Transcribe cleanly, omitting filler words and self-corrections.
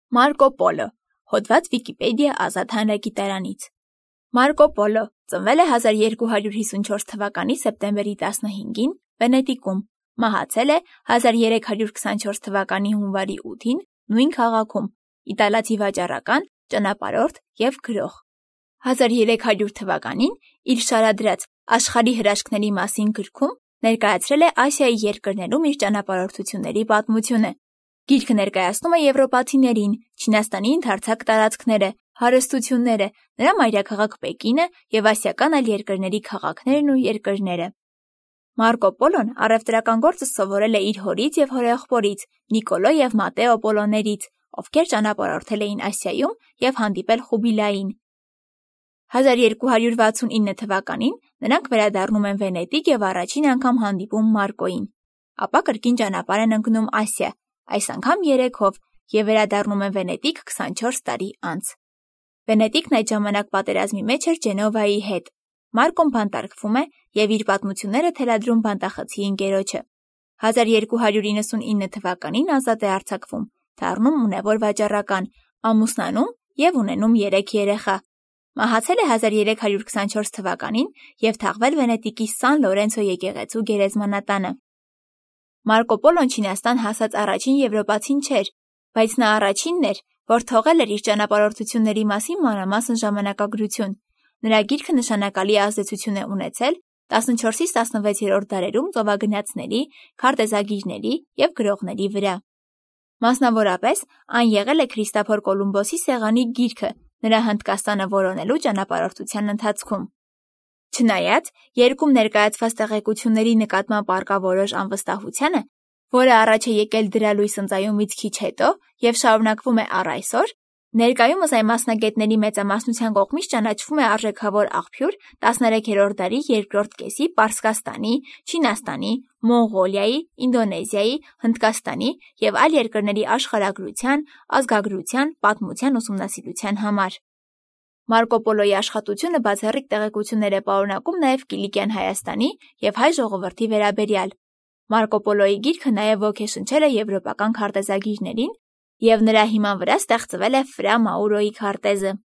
Մարկո Պոլո, հոդված Վիկիպեդիա ազատ հանրագիտարանից։ Մարկո Պոլո ծնվել է 1254 թվականի սեպտեմբերի 15-ին Վենետիկում, մահացել է 1324 թվականի հունվարի 8-ին նույն քաղաքում, իտալացի վաճառական, ճանապարհորդ և գրող։ 1300 թվականին իր շարադրած «Աշխարհի հրաշքների մասին» գրքում ներկայացրել է Ասիայի երկրներում իր ճանապարհորդությունների պատմությունը։ Գիրքը ներկայացնում է եվրոպացիներին Չինաստանի ընդարձակ տարածքները, հարստությունները, նրա մայրաքաղաք Պեկինը և ասիական այլ երկրների քաղաքներն ու երկրները։ Մարկո Պոլոն առևտրական գործը սովորել է իր հորից և հորեղբորից Նիկոլո և Մատեո Պոլոներից, ովքեր ճանապարհորդել էին Ասիայում և հանդիպել Խուբիլային։ 1269 թվականին նրանք վերադառնում են Վենետիկ և առաջին անգամ հանդիպում Մարկոյին։ Ապա կրկին ճանապարհ են ընկնում Ասիա, այս անգամ 3-ով, և վերադառնում են Վենետիկ 24 տարի անց։ Վենետիկն այդ ժամանակ պատերազմի մեջ էր Ջենովայի հետ։ Մարկոն բանտարկվում է և իր պատմությունները թելադրում բանտախցի ընկերոջը։ 1299 թվականին ազատ է արձակվում, դառնում ունևոր վաճառական, ամուսնանում և ունենում 3 երեխա։ Մահացել է 1324 թվականին և թաղվել Վենետիկի Սան Լորենցո եկեղեցու գերեզմանատանը։ Մարկո Պոլոն Չինաստան հասած առաջին եվրոպացին չէր, բայց նա առաջինն էր, որ թողել էր իր ճանապարհորդությունների մասին մանրամասն ժամանակագրություն։ Նրա գիրքը նշանակալի ազդեցություն է ունեցել 14-ից 16-րդ դարերում ծովագնացների, քարտեզագիրների և գրողների վրա։ Մասնավորապես, այն եղել է Քրիստոֆոր Կոլումբոսի սեղանի գիրքը նրա Հնդկաստանը որոնելու ճանապարհորդության ընթացքում։ Չնայած երկում ներկայացված տեղեկությունների նկատմամբ առկա որոշ անվստահությանը, որը առաջ է եկել դրա լույս ընծայումից քիչ հետո և շարունակվում է առ այսօր, ներկայումս այն մասնագետների մեծամասնության կողմից ճանաչվում է արժեքավոր աղբյուր 13-րդ դարի երկրորդ կեսի Պարսկաստանի, Չինաստանի, Մոնղոլիայի, Ինդոնեզիայի, Հնդկաստանի և այլ երկրների աշխարհագրության, ազգագրության, պատմության ուսումնասիրության համար։ Մարկո Պոլոյի աշխատությունը բացառիկ տեղեկություններ է պարունակում նաև Կիլիկյան Հայաստանի և հայ ժողովրդի վերաբերյալ։ Մարկո Պոլոյի գիրքը նաև ոգեշնչել է եվրոպական քարտեզագիրներին, և նրա հիման վրա ստեղծվել է Ֆրա Մաուրոյի քարտեզը։